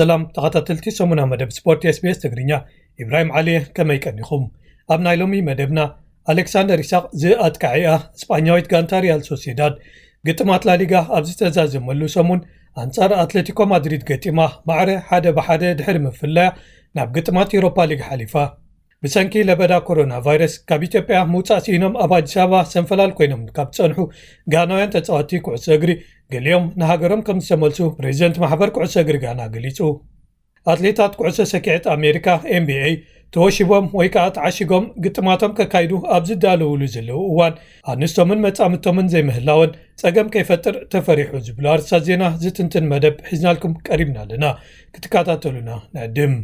ሰላም ተኸታተልቲ ሰሙና መደብ ስፖርት SBS ትግርኛ፣ ኢብራሂም ዓሊ እየ። ከመይ ቀኒኹም? ኣብ ናይ ሎሚ መደብና፣ ኣሌክሳንደር ኢሳቕ ዝኣጥቃዒኣ ስጳኛዊት ጋንታ ሪያል ሶሴዳድ ግጥማት ላሊጋ ኣብ ዝተዛዘመሉ ሰሙን ኣንጻር ኣትሌቲኮ ማድሪድ ገጢማ ማዕረ ሓደ ብሓደ ድሕሪ ምፍላያ ናብ ግጥማት ዩሮፓ ሊግ ሓሊፋ። ብሰንኪ ለበዳ ኮሮና ቫይረስ ካብ ኢትዮጵያ ምውጻእ ስኢኖም ኣብ ኣዲስ ኣበባ ሰንፈላል ኮይኖም ካብ ዝጸንሑ ጋናውያን ተጻወትቲ ኩዕሶ እግሪ፣ ገሊኦም ንሃገሮም ከም ዝተመልሱ ፕሬዚደንት ማሕበር ኩዕሶ እግሪ ጋና ገሊጹ። ኣትሌታት ኩዕሶ ሰኪዐት ኣሜሪካ፣ ኤንቢኤ፣ ተወሺቦም ወይ ከኣ ተዓሺጎም ግጥማቶም ከካይዱ ኣብ ዝዳለውሉ ዘለዉ እዋን፣ ኣንስቶምን መጻምድቶምን ዘይምህላወን ጸገም ከይፈጥር ተፈሪሑ ዝብሉ ኣርእስታት ዜና ዝትንትን መደብ ሒዝናልኩም ቀሪብና ኣለና። ክትከታተሉና ንዕድም።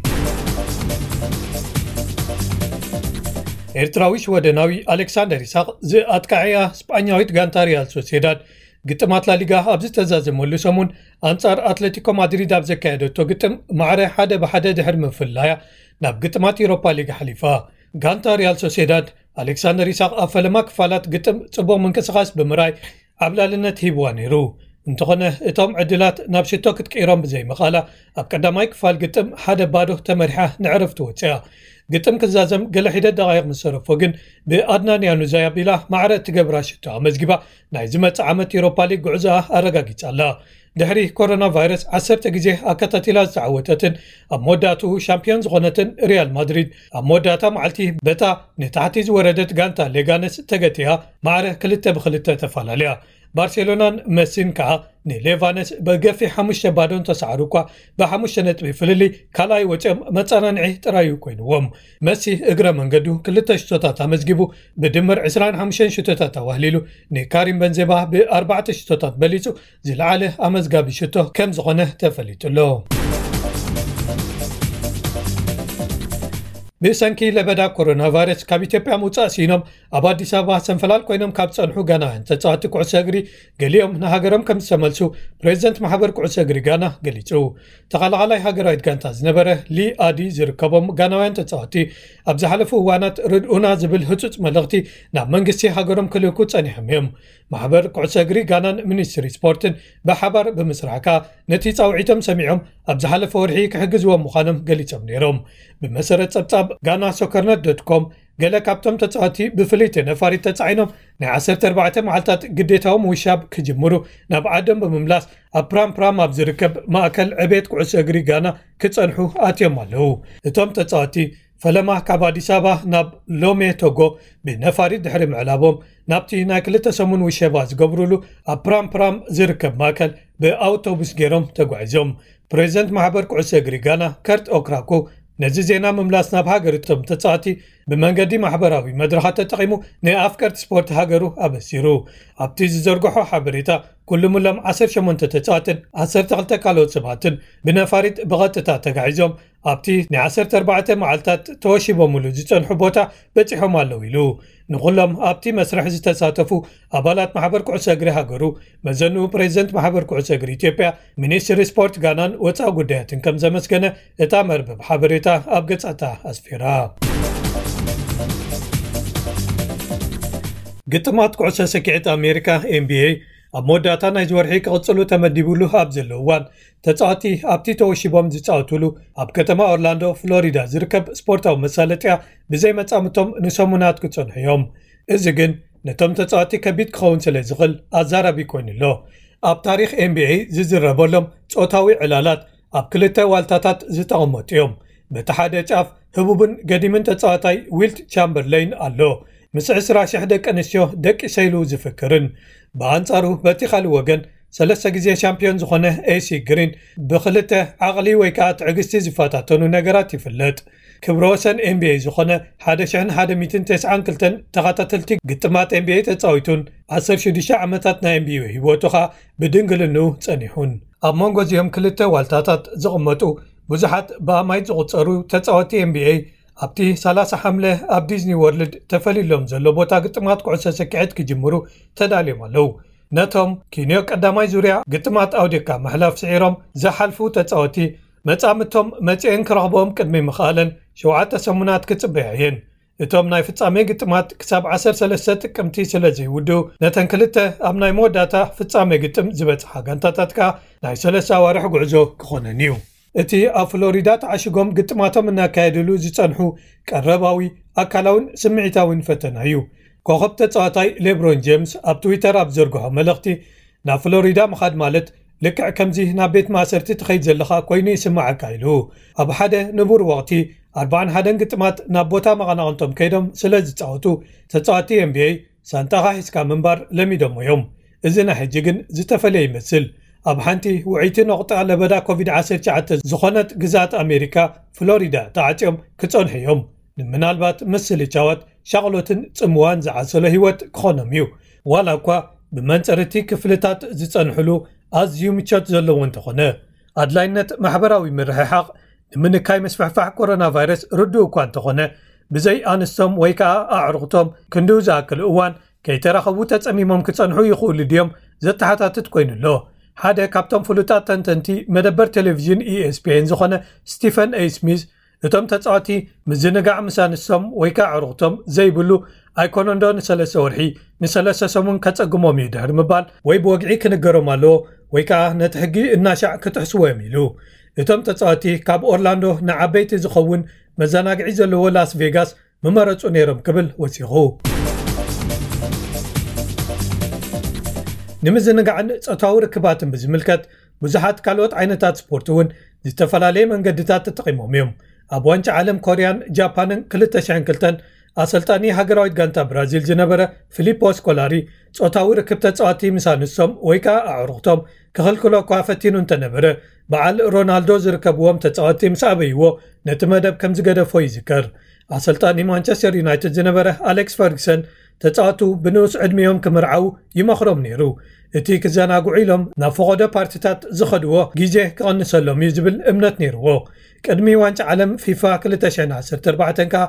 ኤርትራዊ ሽወደናዊ ኣሌክሳንደር ኢሳቕ ዝኣጥቃዕያ ስጳኛዊት ጋንታ ሪያል ሶሴዳድ ግጥማት ላሊጋ ኣብ ዝተዛዘመሉ ሰሙን ኣንጻር ኣትሌቲኮ ማድሪድ ኣብ ዘካየደቶ ግጥም ማዕረ ሓደ ብሓደ ድሕሪ ምፍላያ ናብ ግጥማት ዩሮፓ ሊግ ሓሊፋ። ጋንታ ሪያል ሶሴዳድ ኣሌክሳንደር ኢሳቕ ኣብ ፈለማ ክፋላት ግጥም ጽቡቕ ምንቅስቓስ ብምርኣይ ዓብላልነት ሂብዋ ነይሩ። እንተኾነ እቶም ዕድላት ናብ ሽቶ ክትቅይሮም ብዘይምኽኣላ ኣብ ቀዳማይ ክፋል ግጥም ሓደ ባዶ ተመሪሓ ንዕረፍቲ ወጽያ። ግጥም ክዛዘም ገለ ሒደት ደቓይቕ ምስ ተረፎ ግን ብኣድናን ያኑዛይ ኣቢላ ማዕረ እትገብራ ሽቶ ኣመዝጊባ ናይ ዝመጽእ ዓመት ዩሮፓ ሊግ ጉዕዞኣ ኣረጋጊጻ ኣላ። ድሕሪ ኮሮና ቫይረስ ዓሰርተ ግዜ ኣከታቲላ ዝተዓወተትን ኣብ መወዳእትኡ ሻምፒዮን ዝኾነትን ሪያል ማድሪድ ኣብ መወዳእታ መዓልቲ በታ ንታሕቲ ዝወረደት ጋንታ ሌጋነስ ተገቲያ ማዕረ ክልተ ብክልተ ተፈላለያ። ባርሴሎናን መሲን ከኣ ንሌቫነስ ብገፊሕ ሓሙሽተ ባዶ እንተሰዓሩ እኳ ብሓሙሽተ ነጥቢ ፍልልይ ካልኣይ ወፂኦም መፀናንዒ ጥራዩ ኮይንዎም። መሲ እግረ መንገዱ ክልተ ሽቶታት ኣመዝጊቡ ብድምር ዕስራን ሓሙሽተን ሽቶታት ኣዋህሊሉ ንካሪም በንዜማ ብኣርባዕተ ሽቶታት በሊፁ ዝለዓለ ኣመዝጋቢ ሽቶ ከም ዝኾነ ተፈሊጡ ኣሎ። ብሰንኪ ለበዳ ኮሮና ቫይረስ ካብ ኢትዮጵያ ምውጻእ ሲኖም ኣብ ኣዲስ ኣበባ ሰንፈላል ኮይኖም ካብ ጸንሑ ጋናውያን ተጻወቲ ኩዕሶ እግሪ ገሊኦም ንሃገሮም ከም ዝተመልሱ ፕሬዚደንት ማሕበር ኩዕሶ እግሪ ጋና ገሊጹ። ተቐላቓላይ ሃገራዊት ጋንታ ዝነበረ ሊ ኣዲ ዝርከቦም ጋናውያን ተጻወቲ ኣብ ዝሓለፉ እዋናት ርድኡና ዝብል ህጹጽ መልእኽቲ ናብ መንግስቲ ሃገሮም ክልእኩ ጸኒሖም እዮም። ማሕበር ኩዕሶ እግሪ ጋናን ሚኒስትሪ ስፖርትን ብሓባር ብምስራሕ ከኣ ነቲ ጻውዒቶም ሰሚዖም ኣብ ዝሓለፈ ወርሒ ክሕግዝዎም ምዃኖም ገሊጾም ነይሮም። ብመሰረት ጸብጻብ ጋና ሶከርነት ዶት ኮም፣ ገለ ካብቶም ተጻወቲ ብፍልይቲ ነፋሪት ተጻዒኖም ናይ ዓሰርተ ኣርባዕተ መዓልታት ግዴታዊ ምውሻብ ክጅምሩ ናብ ዓዶም ብምምላስ ኣብ ፕራም ፕራም ኣብ ዝርከብ ማእከል ዕቤት ኩዕሶ እግሪ ጋና ክጸንሑ ኣትዮም ኣለዉ። እቶም ተጻወቲ ፈለማ ካብ ኣዲስ ኣበባ ናብ ሎሜ ቶጎ ብነፋሪት ድሕሪ ምዕላቦም ናብቲ ናይ ክልተ ሰሙን ውሸባ ዝገብሩሉ ኣብ ፕራም ፕራም ዝርከብ ማእከል ብኣውቶቡስ ገይሮም ተጓዒዞም። ፕሬዚደንት ማሕበር ኩዕሶ እግሪ ጋና ከርት ኦክራኮ ነዚ ዜና ምምላስ ናብ ሃገር እቶም ተጻወቲ ብመንገዲ ማሕበራዊ መድረኻት ተጠቒሙ ንኣፍቀርቲ ስፖርት ሃገሩ ኣበሲሩ። ኣብቲ ዝዘርግሖ ሓበሬታ ኩሉም እሎም ዓሰርተ ሸሞንተ ተጻወትን ዓሰርተ ክልተ ካልኦት ሰባትን ብነፋሪት ብቐጥታ ተጋዒዞም ኣብቲ ናይ ዓሰርተ ኣርባዕተ መዓልታት ተወሺቦምሉ ዝጸንሑ ቦታ በጺሖም ኣለዉ ኢሉ። ንኹሎም ኣብቲ መስርሕ ዝተሳተፉ ኣባላት ማሕበር ኩዕሶ እግሪ ሃገሩ መዘንኡ ፕሬዚደንት ማሕበር ኩዕሶ እግሪ ኢትዮጵያ፣ ሚኒስትሪ ስፖርት ጋናን ወጻኢ ጉዳያትን ከም ዘመስገነ እታ መርበብ ሓበሬታ ኣብ ገጻታ ኣስፊራ። ግጥማት ኩዕሶ ሰኪዐት ኣሜሪካ ኤንቢኤ ኣብ መወዳእታ ናይዚ ወርሒ ክቕጽሉ ተመዲቡሉ ኣብ ዘሎ እዋን ተጻወቲ ኣብቲ ተወሺቦም ዝጻወቱሉ ኣብ ከተማ ኦርላንዶ ፍሎሪዳ ዝርከብ ስፖርታዊ መሳለጥያ ብዘይ መጻምቶም ንሰሙናት ክጸንሑ እዮም። እዚ ግን ነቶም ተጻወቲ ከቢድ ክኸውን ስለ ዝኽእል ኣዛራቢ ኮይኑ ኣሎ። ኣብ ታሪኽ ኤንቢኤ ዝዝረበሎም ጾታዊ ዕላላት ኣብ ክልተ ዋልታታት ዝተቐመጡ እዮም። በቲ ሓደ ጫፍ ህቡብን ገዲምን ተጻዋታይ ዊልት ቻምበርለይን ኣሎ፣ ምስ ዕስራ ሽሕ ደቂ ኣንስትዮ ደቂሰ ኢሉ ዝፍክርን። ብኣንጻሩ በቲ ካልእ ወገን ሰለስተ ግዜ ሻምፒዮን ዝኾነ ኤሲ ግሪን ብክልተ ዓቕሊ ወይ ከኣ ትዕግስቲ ዝፈታተኑ ነገራት ይፍለጥ። ክብረ ወሰን ኤንቢኤ ዝኾነ ሓደ ሽሕን ሓደ ሚእትን ተስዓን ክልተን ተኸታተልቲ ግጥማት ኤንቢኤ ተጻዊቱን ዓሰርተ ሽዱሽተ ዓመታት ናይ ኤንቢኤ ህይወቱ ኸኣ ብድንግልንኡ ጸኒሑን። ኣብ መንጎ እዚኦም ክልተ ዋልታታት ዝቕመጡ ብዙሓት ብኣማይት ዝቑጸሩ ተጻወቲ ኤንቢኤ ኣብቲ ሰላሳ ሓምለ ኣብ ዲዝኒ ወርልድ ተፈልዩሎም ዘሎ ቦታ ግጥማት ኩዕሶ ሰኪዐት ክጅምሩ ተዳልዮም ኣለዉ። ነቶም ኪንዮ ቀዳማይ ዙርያ ግጥማት ኣውዲቕካ ምሕላፍ ስዒሮም ዝሓልፉ ተጻወቲ መጻምቶም መጺኤን ክረኽብኦም ቅድሚ ምኽኣለን ሸውዓተ ሰሙናት ክጽበያ እየን። እቶም ናይ ፍጻሜ ግጥማት ክሳብ ዓሰርተ ሰለስተ ጥቅምቲ ስለ ዘይውድኡ፣ ነተን ክልተ ኣብ ናይ መወዳእታ ፍጻሜ ግጥም ዝበጽሓ ጋንታታት ከኣ ናይ ሰለስተ ኣዋርሕ ጉዕዞ ክኾነን እዩ። እቲ ኣብ ፍሎሪዳ ተዓሽጎም ግጥማቶም እናካየድሉ ዝጸንሑ ቀረባዊ ኣካላውን ስምዒታውን ፈተና እዩ። ኮኸብ ተጻዋታይ ሌብሮን ጄምስ ኣብ ትዊተር ኣብ ዘርግሖ መልእኽቲ፣ ናብ ፍሎሪዳ ምኻድ ማለት ልክዕ ከምዚ ናብ ቤት ማእሰርቲ ትኸይድ ዘለኻ ኮይኑ ይስምዓካ ኢሉ። ኣብ ሓደ ንቡር ወቕቲ ኣርባዓን ሓደን ግጥማት ናብ ቦታ መቐናቕንቶም ከይዶም ስለ ዝጻወቱ፣ ተጻወቲ ኤንቢኤ ሳንጣኻ ሒዝካ ምንባር ለሚዶሞ እዮም። እዚ ናይ ሕጂ ግን ዝተፈለየ ይመስል። ኣብ ሓንቲ ውዕይቲ ነቑጣ ለበዳ ኮቪድ ዓሰርተ ትሽዓተ ዝኾነት ግዝኣት ኣሜሪካ ፍሎሪዳ ተዓጽዮም ክጸንሑ እዮም። ንምናልባት ምስልቻዋት ሻቕሎትን ጽምዋን ዝዓሰሎ ህይወት ክኾኖም እዩ። ዋላ እኳ ብመንጽር እቲ ክፍልታት ዝጸንሕሉ ኣዝዩ ምቾት ዘለዎ እንተኾነ፣ ኣድላይነት ማሕበራዊ ምርሕሓቕ ንምንካይ ምስፍሕፋሕ ኮሮና ቫይረስ ርዱእ እኳ እንተኾነ፣ ብዘይ ኣንስቶም ወይ ከኣ ኣዕሩኽቶም ክንድኡ ዝኣክል እዋን ከይተራኸቡ ተጸሚሞም ክጸንሑ ይኽእሉ ድዮም ዘተሓታትት ኮይኑ ኣሎ። ሓደ ካብቶም ፍሉጣት ተንተንቲ መደበር ቴሌቪዥን ኢኤስፒኤን ዝኾነ ስቲፈን ኤ ስሚዝ፣ እቶም ተጻወቲ ምዝንጋዕ ምስ ኣንስቶም ወይ ከኣ ኣዕሩኽቶም ዘይብሉ ኣይኮነንዶ ንሰለስተ ወርሒ፣ ንሰለስተ ሰሙን ከጸግሞም እዩ ድሕሪ ምባል፣ ወይ ብወግዒ ክንገሮም ኣለዎ ወይ ከኣ ነቲ ሕጊ እናሻዕ ክጥሕስዎ እዮም ኢሉ። እቶም ተጻወቲ ካብ ኦርላንዶ ንዓበይቲ ዝኸውን መዘናግዒ ዘለዎ ላስ ቬጋስ ምመረጹ ነይሮም ክብል ወሲኹ። ንምዝንጋዕን ጾታዊ ርክባትን ብዝምልከት ብዙሓት ካልኦት ዓይነታት ስፖርት እውን ዝተፈላለየ መንገድታት ተጠቒሞም እዮም። ኣብ ዋንጫ ዓለም ኮርያን ጃፓንን ክልተ ሽሕን ክልተን ኣሰልጣኒ ሃገራዊት ጋንታ ብራዚል ዝነበረ ፊሊፖ ስኮላሪ ጾታዊ ርክብ ተጻወቲ ምስ ኣንስቶም ወይ ከኣ ኣዕሩኽቶም ክኽልክሎ እኳ ፈቲኑ እንተነበረ፣ በዓል ሮናልዶ ዝርከብዎም ተጻወቲ ምስ ኣበይዎ ነቲ መደብ ከም ዝገደፎ ይዝከር። ኣሰልጣኒ ማንቸስተር ዩናይትድ ዝነበረ ኣሌክስ ፈርግሰን ተጻወቱ ብንኡስ ዕድሚኦም ክምርዓው ይመኽሮም ነይሩ። እቲ ክዘናግዑ ኢሎም ናብ ፈቐዶ ፓርቲታት ዝኸድዎ ግዜ ክቐንሰሎም እዩ ዝብል እምነት ነይርዎ። ቅድሚ ዋንጫ ዓለም ፊፋ ክልተ ሽሕን ዓሰርተ ኣርባዕተን ከኣ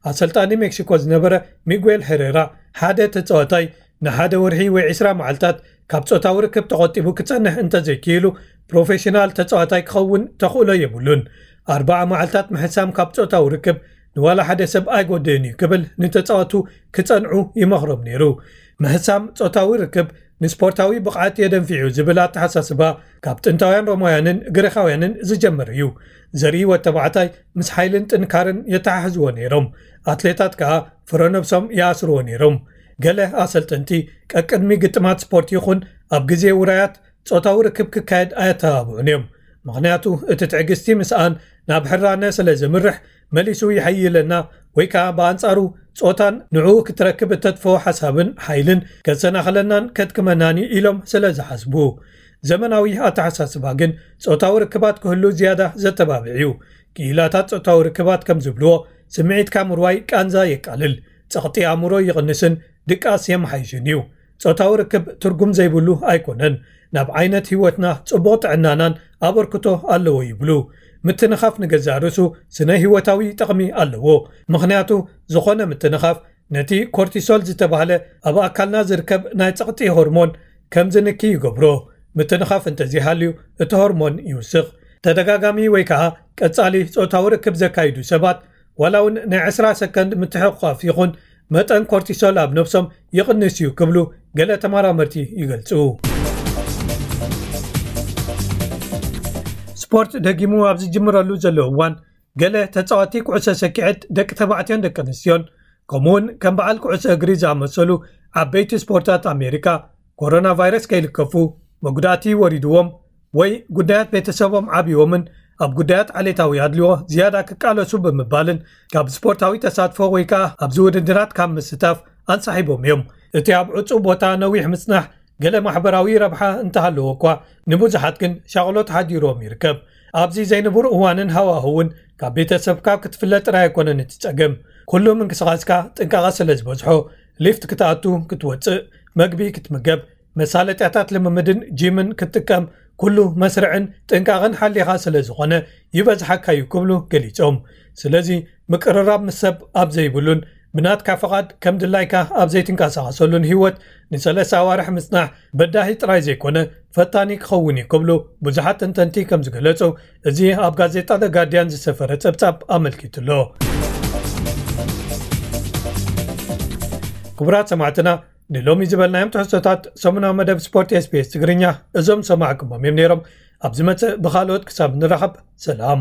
ኣሰልጣኒ ሜክሲኮ ዝነበረ ሚጉኤል ሄሬራ ሓደ ተጻዋታይ ንሓደ ወርሒ ወይ ዕስራ መዓልታት ካብ ጾታዊ ርክብ ተቖጢቡ ክጸንሕ እንተዘይክኢሉ ፕሮፌሽናል ተጻዋታይ ክኸውን ተኽእሎ የብሉን። ኣርባዓ መዓልታት ምሕሳም ካብ ጾታዊ ርክብ ንዋላ ሓደ ሰብ ኣይጎድእን እዩ ክብል ንተጻወቱ ክጸንዑ ይመኽሮም ነይሩ። ምሕሳም ጾታዊ ርክብ ንስፖርታዊ ብቕዓት የደንፊዑ ዝብል ኣተሓሳስባ ካብ ጥንታውያን ሮማውያንን ግሪኻውያንን ዝጀመረ እዩ። ዘርኢ ወተባዕታይ ምስ ሓይልን ጥንካርን የተሓሕዝዎ ነይሮም። ኣትሌታት ከኣ ፍረ ነብሶም ይኣስርዎ ነይሮም። ገለ ኣሰልጠንቲ ቀቅድሚ ግጥማት ስፖርት ይኹን ኣብ ግዜ ውራያት ጾታዊ ርክብ ክካየድ ኣየተባብዑን እዮም። ምኽንያቱ እቲ ትዕግስቲ ምስኣን ናብ ሕራነ ስለ ዘምርሕ መሊሱ ይሐይለና ወይ ከኣ ብኣንጻሩ ጾታን ንዕኡ ክትረክብ እተጥፍኦ ሓሳብን ሓይልን ከሰናኽለናን ከድክመናን እዩ ኢሎም ስለ ዝሓስቡ። ዘመናዊ ኣተሓሳስባ ግን ጾታዊ ርክባት ክህሉ ዝያዳ ዘተባብዕ እዩ። ክኢላታት ጾታዊ ርክባት ከም ዝብልዎ ስምዒትካ ምርዋይ ቃንዛ የቃልል፣ ጸቕጢ ኣእምሮ ይቕንስን ድቃስ የመሓይሽን እዩ። ጾታዊ ርክብ ትርጉም ዘይብሉ ኣይኮነን። ናብ ዓይነት ህይወትና ጽቡቕ ጥዕናናን ኣበርክቶ ኣለዎ ይብሉ። ምትንኻፍ ንገዛእ ርእሱ ስነ ህይወታዊ ጠቕሚ ኣለዎ። ምኽንያቱ ዝኾነ ምትንኻፍ ነቲ ኮርቲሶል ዝተባህለ ኣብ ኣካልና ዝርከብ ናይ ጸቕጢ ሆርሞን ከም ዝንኪ ይገብሮ። ምትንኻፍ እንተዘይሃልዩ እቲ ሆርሞን ይውስኽ። ተደጋጋሚ ወይ ከኣ ቀጻሊ ጾታዊ ርክብ ዘካይዱ ሰባት ዋላ እውን ናይ ዕስራ ሰከንድ ምትሕቑቓፍ ይኹን መጠን ኮርቲሶል ኣብ ነብሶም ይቕንስ እዩ ክብሉ ገለ ተመራመርቲ ይገልጹ። ስፖርት ደጊሙ ኣብ ዝጅምረሉ ዘሎ እዋን ገለ ተጻዋቲ ኩዕሶ ሰኪዐት ደቂ ተባዕትዮን ደቂ ኣንስትዮን ከምኡውን ከም በዓል ኩዕሶ እግሪ ዝኣመሰሉ ዓበይቲ ስፖርታት ኣሜሪካ ኮሮና ቫይረስ ከይልከፉ መጉዳእቲ ወሪድዎም ወይ ጉዳያት ቤተሰቦም ዓብይዎምን ኣብ ጉዳያት ዓሌታዊ ኣድልዎ ዝያዳ ክቃለሱ ብምባልን ካብ ስፖርታዊ ተሳትፎ ወይ ከኣ ኣብዚ ውድድራት ካብ ምስታፍ ኣንሳሒቦም እዮም። እቲ ኣብ ዕጹው ቦታ ነዊሕ ምጽናሕ ገለ ማሕበራዊ ረብሓ እንተሃለዎ እኳ ንብዙሓት ግን ሻቕሎት ሓዲሮም ይርከብ። ኣብዚ ዘይንቡር እዋንን ሃዋህውን ካብ ቤተሰብካ ክትፍለ ጥራይ ኣይኮነን እቲ ጸገም። ኩሉ ምንቅስቓስካ ጥንቃቐ ስለ ዝበዝሖ ሊፍት ክትኣቱ፣ ክትወጽእ፣ መግቢ ክትምገብ፣ መሳለጥያታት ልምምድን ጂምን ክትጥቀም ኩሉ መስርዕን ጥንቃቐን ሓሊኻ ስለ ዝኾነ ይበዝሓካ እዩ ክብሉ ገሊጾም። ስለዚ ምቅርራብ ምስ ሰብ ኣብ ዘይብሉን ብናትካ ፍቓድ ከም ድላይካ ኣብ ዘይትንቀሳቐሰሉን ህይወት ንሰለስተ ኣዋርሕ ምጽናሕ በዳሂ ጥራይ ዘይኮነ ፈታኒ ክኸውን እዩ ክብሉ ብዙሓት ተንተንቲ ከም ዝገለጹ እዚ ኣብ ጋዜጣ ደ ጋርዲያን ዝሰፈረ ጸብጻብ ኣመልኪቱ ኣሎ። ክቡራት ሰማዕትና ንሎሚ ዝበልናዮም ትሕዝቶታት ሰሙናዊ መደብ ስፖርት ኤስቢኤስ ትግርኛ እዞም ሰማዕኩሞም እዮም ነይሮም። ኣብ ዝመጽእ ብኻልኦት ክሳብ ንራኸብ ሰላም።